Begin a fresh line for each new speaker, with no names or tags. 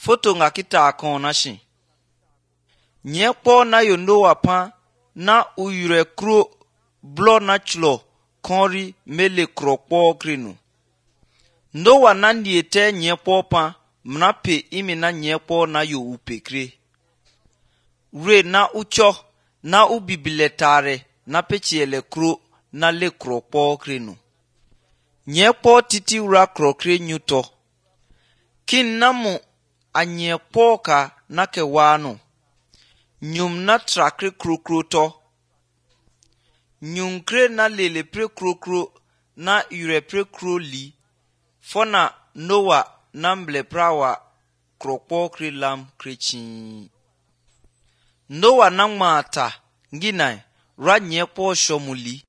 Foto nga kita akon na shi. Nyekpo na yondo wapa na uyure kro blo na chlo konri mele krokpo krinu. Ndo wa na ndiete nyekpo pa mnape imi na nyekpo na yo upekre. Re na ucho na ubibiletare na pechiele kro na le krokpo krinu. Nyekpo titi ura krokre nyuto. Kin namu a nyekpo ka na kewano. Nyum na trakre krokro to. Nyum kre na lele pre krokro na ure pre kro li. Fona Noa na mble prawa krokpo kre lam krechin. Noa na mata ngina ra nyekpo shomuli.